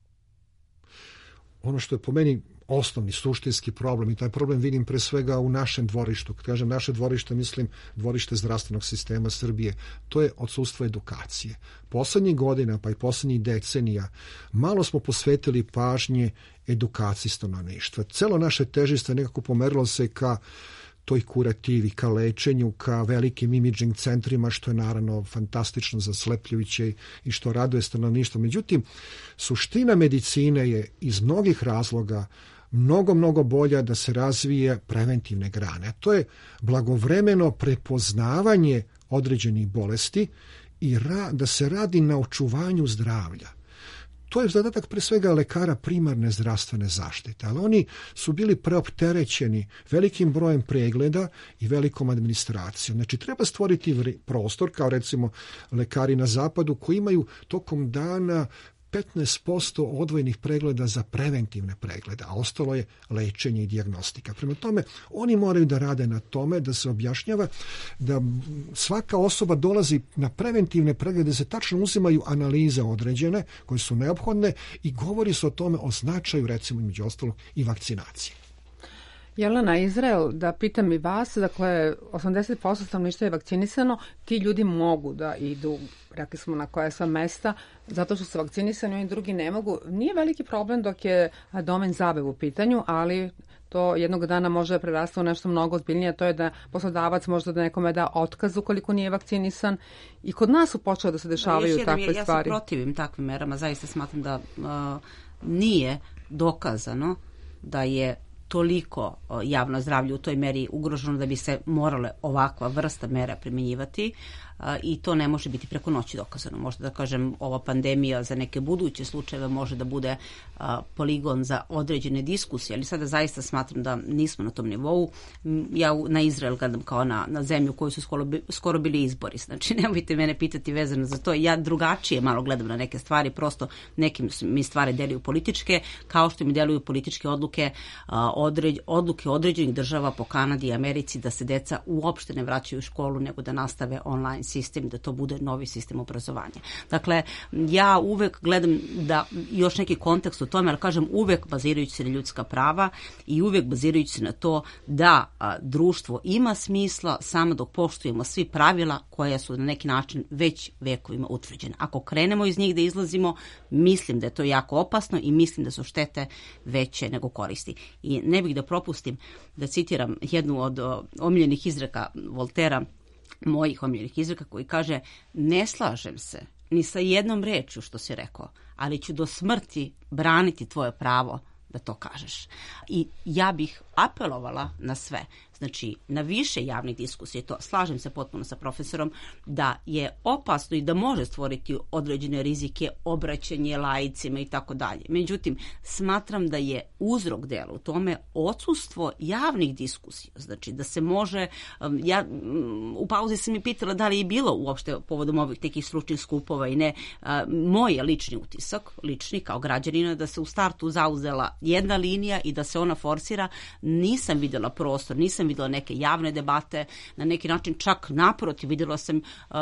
Ono što je po meni osnovni suštinski problem, i taj problem vidim pre svega u našem dvorištu. Kad kažem naše dvorište, mislim dvorište zdravstvenog sistema Srbije. To je odsustvo edukacije. Poslednjih godina, pa i poslednjih decenija, malo smo posvetili pažnje edukaciji stanovništva. Celo naše težište nekako pomerilo se ka toj kurativi, ka lečenju, ka velikim imidžing centrima, što je naravno fantastično, zaslepljujuće i što raduje stanovništvo. Međutim, suština medicine je iz mnogih razloga mnogo, mnogo bolja da se razvije preventivne grane. A to je blagovremeno prepoznavanje određenih bolesti i ra- da se radi na očuvanju zdravlja. to je zadatak pre svega lekara primarne zdravstvene zaštite, ali oni su bili preopterećeni velikim brojem pregleda i velikom administracijom. Znači, treba stvoriti prostor, kao recimo lekari na zapadu, koji imaju tokom dana petnaest posto odvojenih pregleda za preventivne preglede, a ostalo je lečenje i dijagnostika. Prema tome, oni moraju da rade na tome, da se objašnjava da svaka osoba dolazi na preventivne preglede, da se tačno uzimaju analize određene, koje su neophodne, i govori se o tome, o značaju, recimo, među ostalog, i vakcinacije. Jelena, Izrael, da pitam i vas, dakle, osamdeset posto stanovništva je vakcinisano, ti ljudi mogu da idu, rekli smo na koja sva mesta, zato što su vakcinisani, oni drugi ne mogu. Nije veliki problem dok je domen zabave u pitanju, ali to jednog dana može prerasti u nešto mnogo ozbiljnije, to je da poslodavac možda da nekome da otkaz ukoliko nije vakcinisan. I kod nas su počele da se dešavaju da, takve ja, stvari. Ja se protivim takvim merama, zaista smatram da uh, nije dokazano da je toliko javno zdravlje u toj meri ugroženo da bi se morale ovakva vrsta mera primjenjivati i to ne može biti preko noći dokazano. Možda da kažem, ova pandemija za neke buduće slučajeve može da bude poligon za određene diskusije, ali sada zaista smatram da nismo na tom nivou. Ja na Izrael gledam kao na, na zemlju u kojoj su skoro, skoro bili izbori. Znači, nemojte mene pitati vezano za to. Ja drugačije malo gledam na neke stvari, prosto nekim mi stvari deluju političke, kao što mi deluju političke odluke određ, odluke određenih država po Kanadi i Americi da se deca uopšte ne vraćaju u školu, nego da nastave online sistem, da to bude novi sistem obrazovanja. Dakle, ja uvek gledam da još neki kontekst u tome, ali kažem uvek bazirajući se na ljudska prava i uvek bazirajući se na to da a, društvo ima smisla samo dok poštujemo svi pravila koja su na neki način već vekovima utvrđena. Ako krenemo iz njih da izlazimo, mislim da je to jako opasno i mislim da su štete veće nego koristi. I ne bih da propustim da citiram jednu od o, omiljenih izreka Voltera, mojih omiljenih izreka, koji kaže: ne slažem se ni sa jednom rečju što si rekao, ali ću do smrti braniti tvoje pravo da to kažeš. I ja bih apelovala na sve, znači na više javnih diskusija, to slažem se potpuno sa profesorom, da je opasno i da može stvoriti određene rizike, obraćanje laicima i tako dalje. Međutim, smatram da je uzrok dela u tome odsustvo javnih diskusija, znači da se može, ja u pauzi sam mi pitala da li je bilo uopšte povodom ovih nekih stručnih skupova i ne, moj je lični utisak, lični kao građanina, da se u startu zauzela jedna linija i da se ona forsira. Nisam vidjela prostor, nisam vidjela neke javne debate, na neki način čak naprotiv, vidjela sam uh,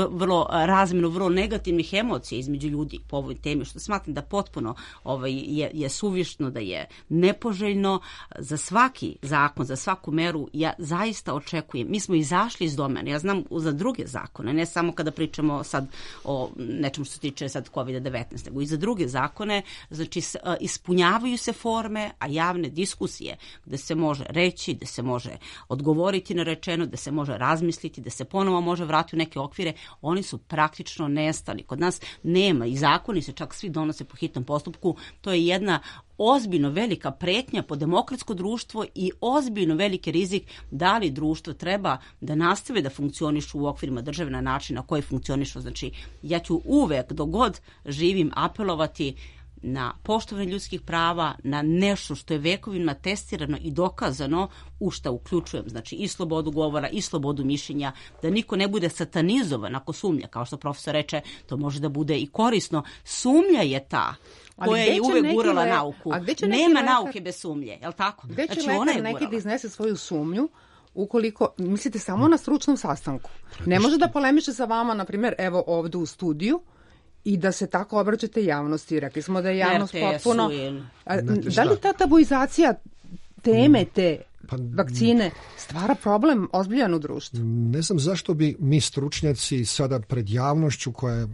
vrlo razmjenu, vrlo negativnih emocija između ljudi po ovoj temi, što smatram da potpuno ovaj, je, je suvišno, da je nepoželjno. Za svaki zakon, za svaku meru ja zaista očekujem, mi smo izašli iz domena, ja znam za druge zakone, ne samo kada pričamo sad o nečemu što se tiče sad kovid devetnaest, nego i za druge zakone, znači ispunjavaju se forme, a javne diskusije gde se može reći, gde se može odgovoriti na rečeno, gde se može razmisliti, gde se ponovo može vratiti u neke okvire, oni su praktično nestali. Kod nas nema i zakoni se čak svi donose po hitnom postupku. To je jedna ozbiljno velika pretnja po demokratsko društvo i ozbiljno veliki rizik da li društvo treba da nastave da funkcionišu u okvirima države na način na koji funkcionišu. Znači, ja ću uvek, dok god živim, apelovati na poštovanje ljudskih prava, na nešto što je vekovima testirano i dokazano, u šta uključujem, znači i slobodu govora i slobodu mišljenja, da niko ne bude satanizovan ako sumnja, kao što profesor reče, to može da bude i korisno. Sumnja je ta koja je uvek gurala le... nauku. Nema lekar... nauke bez sumnje, je li tako? Gde će znači, lekar ona je neki da iznese svoju sumnju ukoliko, mislite, samo na stručnom sastanku? Ne može da polemiše sa vama, na primjer, evo ovde u studiju, i da se tako obraćate javnosti. Rekli smo da je javnost potpuno... A, da li ta tabuizacija teme te pa, vakcine stvara problem ozbiljan u društvu? Ne znam zašto bi mi stručnjaci sada pred javnošću, koja je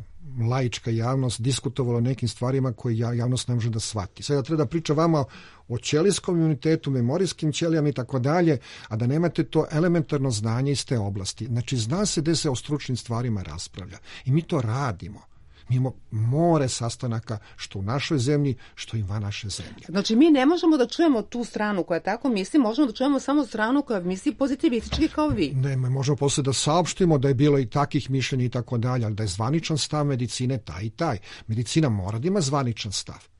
laička javnost, diskutovalo o nekim stvarima koje javnost ne može da shvati. Sada treba da priča vama o ćelijskom imunitetu, memorijskim ćelijama i tako dalje, a da nemate to elementarno znanje iz te oblasti. Znači, zna se gde se o stručnim stvarima raspravlja. I mi to radimo. Mi imamo more sastanaka što u našoj zemlji, što i van naše zemlje. Znači mi ne možemo da čujemo tu stranu koja tako misli, možemo da čujemo samo stranu koja misli pozitivistički kao vi. Ne, mi možemo posle da saopštimo da je bilo i takih mišljenja i tako dalje, ali da je zvaničan stav medicine taj i taj. Medicina mora da ima zvaničan stav.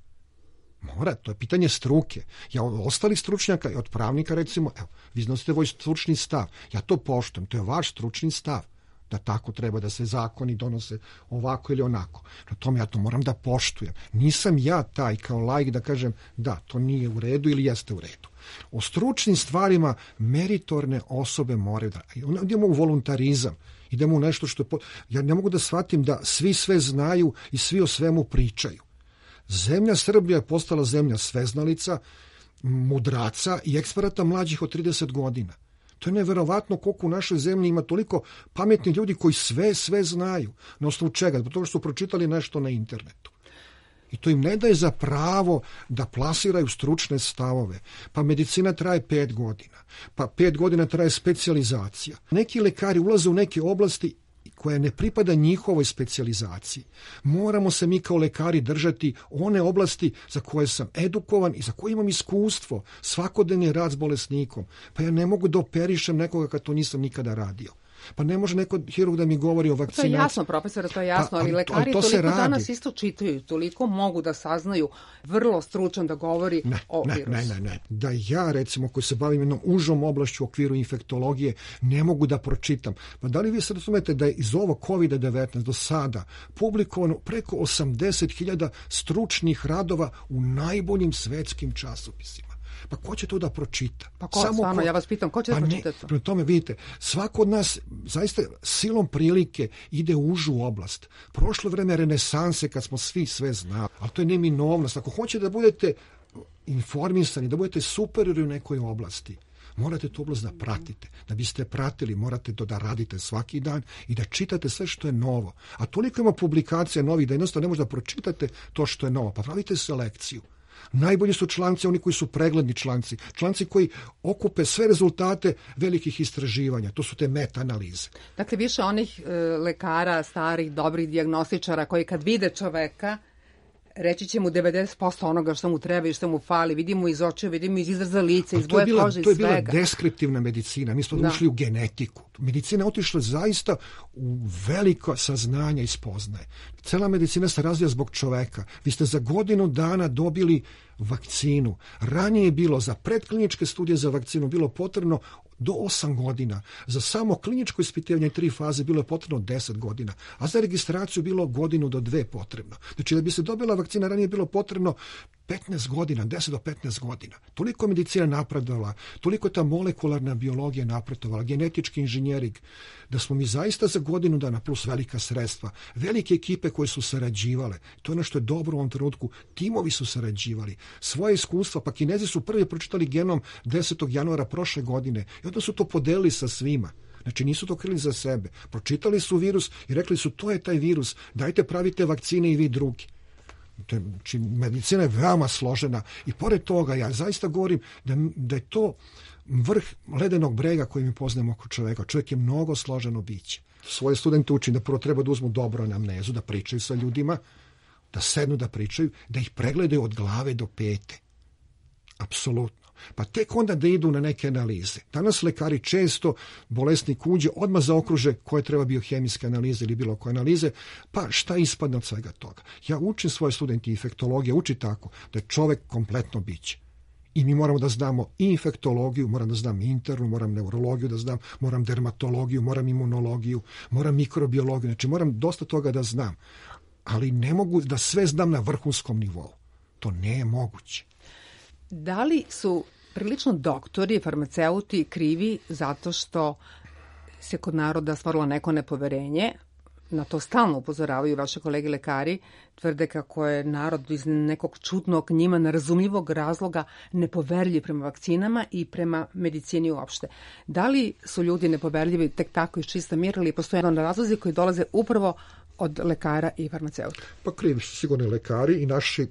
Mora, to je pitanje struke. Ja od ostalih stručnjaka i od pravnika recimo, evo, vi iznosite voj stručni stav. Ja to poštujem, to je vaš stručni stav. Da tako treba da se zakoni donose ovako ili onako. Na tome ja to moram da poštujem. Nisam ja taj kao laik da kažem da, to nije u redu ili jeste u redu. O stručnim stvarima meritorne osobe moraju da... Idemo u voluntarizam, idemo u nešto što... Ja ne mogu da shvatim da svi sve znaju i svi o svemu pričaju. Zemlja Srbija je postala zemlja sveznalica, mudraca i eksperata mlađih od trideset godina. To je neverovatno koliko u našoj zemlji ima toliko pametnih ljudi koji sve, sve znaju. Na osnovu čega? Zbog toga što su pročitali nešto na internetu. I to im ne daje za pravo da plasiraju stručne stavove. Pa medicina traje pet godina. Pa pet godina traje specijalizacija. Neki lekari ulaze u neke oblasti koja ne pripada njihovoj specijalizaciji. Moramo se mi kao lekari držati one oblasti za koje sam edukovan i za koje imam iskustvo, svakodnevni rad s bolesnikom. Pa ja ne mogu da operišem nekoga kad to nisam nikada radio. Pa ne može neko hirurg da mi govori o vakcinaciji. To je jasno, profesore, to je jasno, pa, ali lekari to toliko danas isto čitaju, toliko mogu da saznaju, vrlo stručan da govori ne, o ne, virusu. Ne, ne, ne. Da ja, recimo, koji se bavim jednom užom oblašću u okviru infektologije, ne mogu da pročitam. Pa da li vi sad razumete da je iz ovog kovid devetnaest do sada publikovano preko osamdeset hiljada stručnih radova u najboljim svetskim časopisima? Pa ko će to da pročita? Pa ko, Samo stvarno, ko... ja vas pitam, ko će da pa pročita to? Prema tome, vidite, svako od nas zaista silom prilike ide u užu oblast. Prošlo vreme renesanse kad smo svi sve znali, ali to je neminovnost. Ako hoćete da budete informisani, da budete superiori u nekoj oblasti, morate tu oblast da pratite. Da biste pratili, morate to da radite svaki dan i da čitate sve što je novo. A toliko ima publikacija novih da jednostavno ne možete da pročitate to što je novo. Pa pravite selekciju. Najbolji su članci oni koji su pregledni članci, članci koji okupe sve rezultate velikih istraživanja, to su te meta-analize. Dakle, više onih e, lekara, starih, dobrih dijagnostičara koji kad vide čoveka, reći će mu devedeset posto onoga što mu treba i što mu fali, vidimo iz očeva, vidimo iz izraza lica, iz boje kože i svega. To je bila deskriptivna medicina, mi smo da. ušli u genetiku. Medicina je otišla zaista u veliko saznanje i spoznaje. Cela medicina se razvija zbog čoveka. Vi ste za godinu dana dobili vakcinu. Ranije je bilo za predkliničke studije za vakcinu bilo potrebno do osam godina. Za samo kliničko ispitivanje tri faze bilo je potrebno deset godina, a za registraciju bilo godinu do dve potrebno. Znači da bi se dobila vakcina ranije je bilo potrebno petnaest godina, deset do petnaest godina. Toliko je medicina napredovala, toliko je ta molekularna biologija napredovala, genetički inženjering, da smo mi zaista za godinu dana plus velika sredstva, velike ekipe koje su sarađivale. To je ono što je dobro u ovom trenutku. Timovi su sarađivali. Svoje iskustva, pa Kinezi su prvi pročitali genom desetog januara prošle godine i onda su to podelili sa svima. Znači nisu to krili za sebe. Pročitali su virus i rekli su to je taj virus, dajte pravite vakcine i vi drugi. Znači, medicina je veoma složena i pored toga ja zaista govorim da, da je to vrh ledenog brega koji mi poznajemo oko čoveka. Čovjek je mnogo složeno biće. Svoje studente učim da prvo treba da uzmu dobro anamnezu, da pričaju sa ljudima, da sednu da pričaju, da ih pregledaju od glave do pete. Apsolutno. Pa tek onda da idu na neke analize. Danas lekari često, bolesnik uđe, odmah zaokruže koje treba biohemijske analize ili bilo koje analize, pa šta ispadne od svega toga. Ja učim svoje studente infektologije, uči tako da je čovek kompletno biće. I mi moramo da znamo i infektologiju, moram da znam internu, moram neurologiju da znam, moram dermatologiju, moram imunologiju, moram mikrobiologiju, znači moram dosta toga da znam. Ali ne mogu da sve znam na vrhunskom nivou. To ne je moguće. Da li su prilično doktori, farmaceuti krivi zato što se kod naroda stvorilo neko nepoverenje? Na to stalno upozoravaju vaše kolege lekari, tvrde kako je narod iz nekog čudnog, njima nerazumljivog razloga nepoverljiv prema vakcinama i prema medicini uopšte. Da li su ljudi nepoverljivi tek tako iz čista mira ili postoje jedan razlozi koji dolaze upravo od lekara i farmaceuta? Pa krivi su sigurni lekari i naši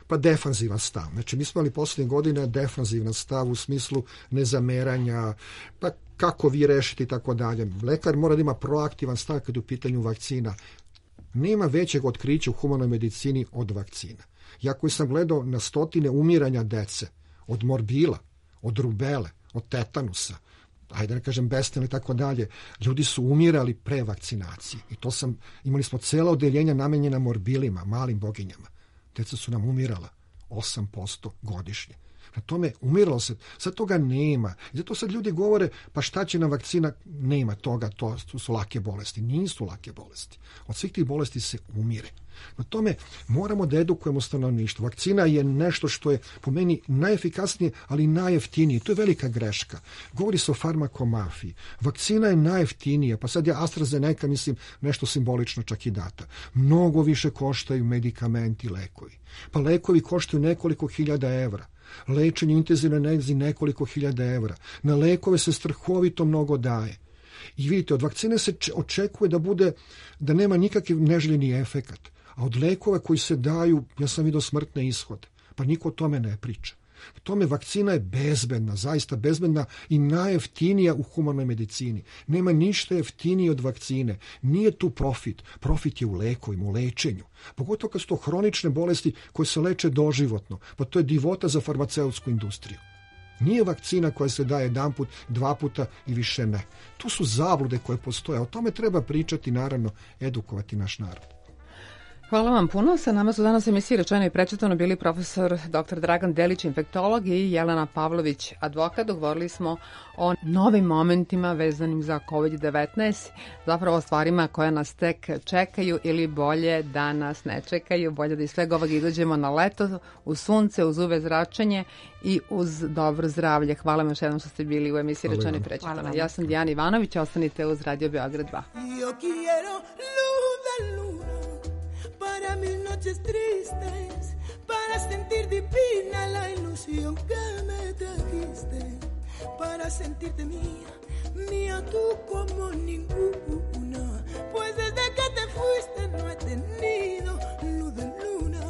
pa defanzivan stav. Znači, mi smo imali posljednje godine defanzivan stav u smislu nezameranja, pa kako vi rešiti i tako dalje. Lekar mora da ima proaktivan stav kad je u pitanju vakcina. Nema većeg otkrića u humanoj medicini od vakcina. Ja koji sam gledao na stotine umiranja dece, od morbila, od rubele, od tetanusa, ajde ne kažem bestelno i tako dalje, ljudi su umirali pre vakcinacije. I to sam, imali smo cela odeljenja namenjena morbilima, malim boginjama. Deca su nam umirala osam posto godišnje. Na tome umiralo se, sad toga nema. I zato sad ljudi govore, pa šta će nam vakcina, nema toga, to, to su lake bolesti. Nisu lake bolesti. Od svih tih bolesti se umire. Na tome moramo da edukujemo stanovništvo. Vakcina je nešto što je po meni najefikasnije, ali i najjeftinije. To je velika greška. Govori se o farmakomafiji. Vakcina je najjeftinija, pa sad je AstraZeneca, mislim, nešto simbolično čak i data. Mnogo više koštaju medikamenti, lekovi. Pa lekovi koštaju nekoliko hiljada evra. Lečenje intenzivne nezi nekoliko hiljada evra. Na lekove se strahovito mnogo daje. I vidite, od vakcine se očekuje da bude, da nema nikakav neželjeni efekat. A od lekova koji se daju, ja sam vidio smrtne ishode. Pa niko o tome ne priča. U tome vakcina je bezbedna, zaista bezbedna i najjeftinija u humanoj medicini. Nema ništa jeftinije od vakcine. Nije tu profit. Profit je u lekovima, u lečenju. Pogotovo kad su to hronične bolesti koje se leče doživotno. Pa to je divota za farmaceutsku industriju. Nije vakcina koja se daje jedan put, dva puta i više ne. Tu su zablude koje postoje. O tome treba pričati, naravno, edukovati naš narod. Hvala vam puno. Sa nama su danas emisiji Rečeno i prečitano bili profesor doktor Dragan Delić, infektolog, i Jelena Pavlović, advokat. Govorili smo o novim momentima vezanim za kovid devetnaest, zapravo o stvarima koje nas tek čekaju ili bolje da nas ne čekaju, bolje da iz svega ovog izađemo na leto, uz sunce, uz uve zračenje i uz dobro zdravlje. Hvala vam još jednom što ste bili u emisiji Rečeno i prečitano. Ja sam Dijana Ivanović, ostanite uz Radio Beograd dva. Para mis noches tristes, para sentir divina la ilusión que me trajiste, para sentirte mía, mía tú como ninguna, pues desde que te fuiste no he tenido luz de luna,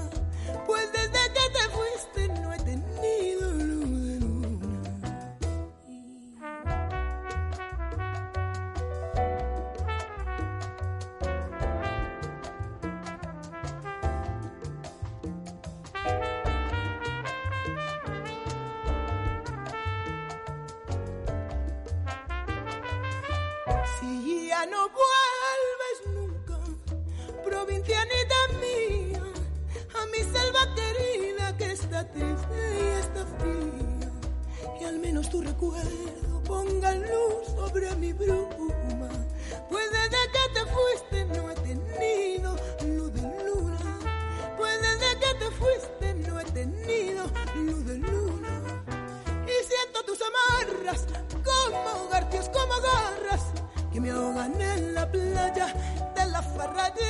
pues desde que te fuiste no he tenido luz de luna. No vuelves nunca, provincianita mía, a mi selva querida que está triste y está fría, que al menos tu recuerdo ponga luz sobre mi bruma, pues desde que te fuiste no he tenido luz de luna, pues desde que te fuiste no he tenido luz de luna, y siento tus amarras como garfios, como garras, que me ahogan en la playa de la farra de